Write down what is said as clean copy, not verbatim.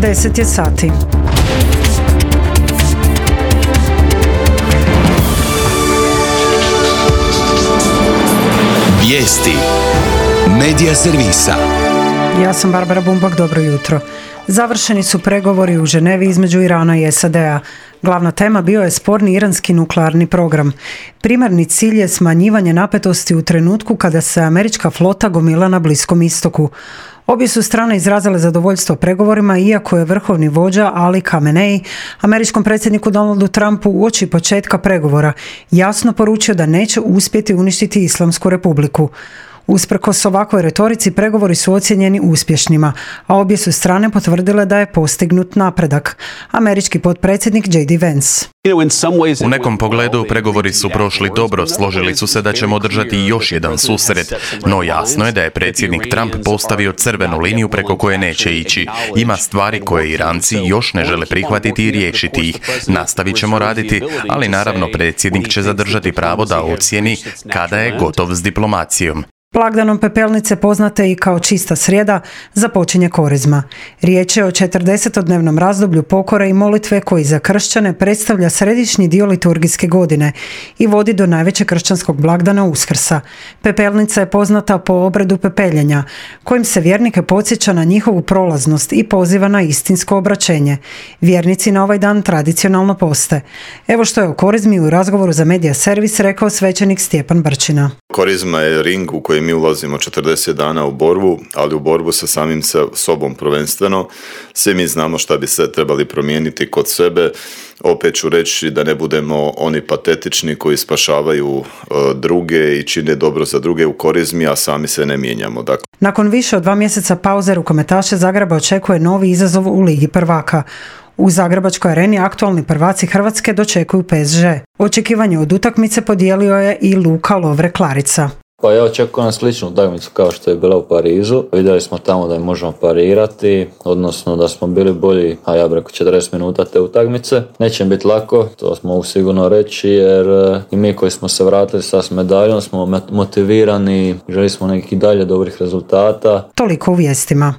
10 je sati. Vijesti Medija servisa. Ja sam Barbara Bumbak, dobro jutro. Završeni su pregovori u Ženevi između Irana i SAD-a. Glavna tema bio je sporni iranski nuklearni program. Primarni cilj je smanjivanje napetosti u trenutku kada se američka flota gomila na Bliskom istoku. Obje su strane izrazile zadovoljstvo pregovorima, iako je vrhovni vođa Ali Khamenei američkom predsjedniku Donaldu Trumpu uoči početka pregovora jasno poručio da neće uspjeti uništiti Islamsku republiku. Usprkos ovakvoj retorici, pregovori su ocijenjeni uspješnima, a obje su strane potvrdile da je postignut napredak. Američki potpredsjednik J.D. Vance. U nekom pogledu pregovori su prošli dobro, složili su se da ćemo održati još jedan susret, no jasno je da je predsjednik Trump postavio crvenu liniju preko koje neće ići. Ima stvari koje Iranci još ne žele prihvatiti i riješiti ih. Nastavit ćemo raditi, ali naravno predsjednik će zadržati pravo da ocijeni kada je gotov s diplomacijom. Blagdanom Pepelnice, poznate i kao Čista srijeda, započinje Korizma. Riječ je o 40-dnevnom razdoblju pokore i molitve koji za kršćane predstavlja središnji dio liturgijske godine i vodi do najvećeg kršćanskog blagdana Uskrsa. Pepelnica je poznata po obredu pepeljenja, kojim se vjernike podsjeća na njihovu prolaznost i poziva na istinsko obraćenje. Vjernici na ovaj dan tradicionalno poste. Evo što je o Korizmi u razgovoru za Medija servis rekao svećenik Stjepan Brčina. Korizma je ring u koji mi ulazimo 40 dana u borbu, ali u borbu sa samim sobom prvenstveno. Svi mi znamo šta bi se trebali promijeniti kod sebe. Opet ću reći da ne budemo oni patetični koji spašavaju druge i čine dobro za druge u Korizmi, a sami se ne mijenjamo. Dakle, nakon više od 2 mjeseca pauze rukometaše Zagreba očekuje novi izazov u Ligi prvaka. U Zagrebačkoj areni aktualni prvaci Hrvatske dočekuju PSG. Očekivanje od utakmice podijelio je i Luka Lovre-Klarica. Pa ja očekujem sličnu utakmicu kao što je bila u Parizu. Vidjeli smo tamo da je možemo parirati, odnosno da smo bili bolji, a ja bih rekao 40 minuta te utakmice. Neće biti lako, to mogu sigurno reći, jer i mi koji smo se vratili s medaljom smo motivirani, želi smo nekih dalje dobrih rezultata. Toliko u vijestima.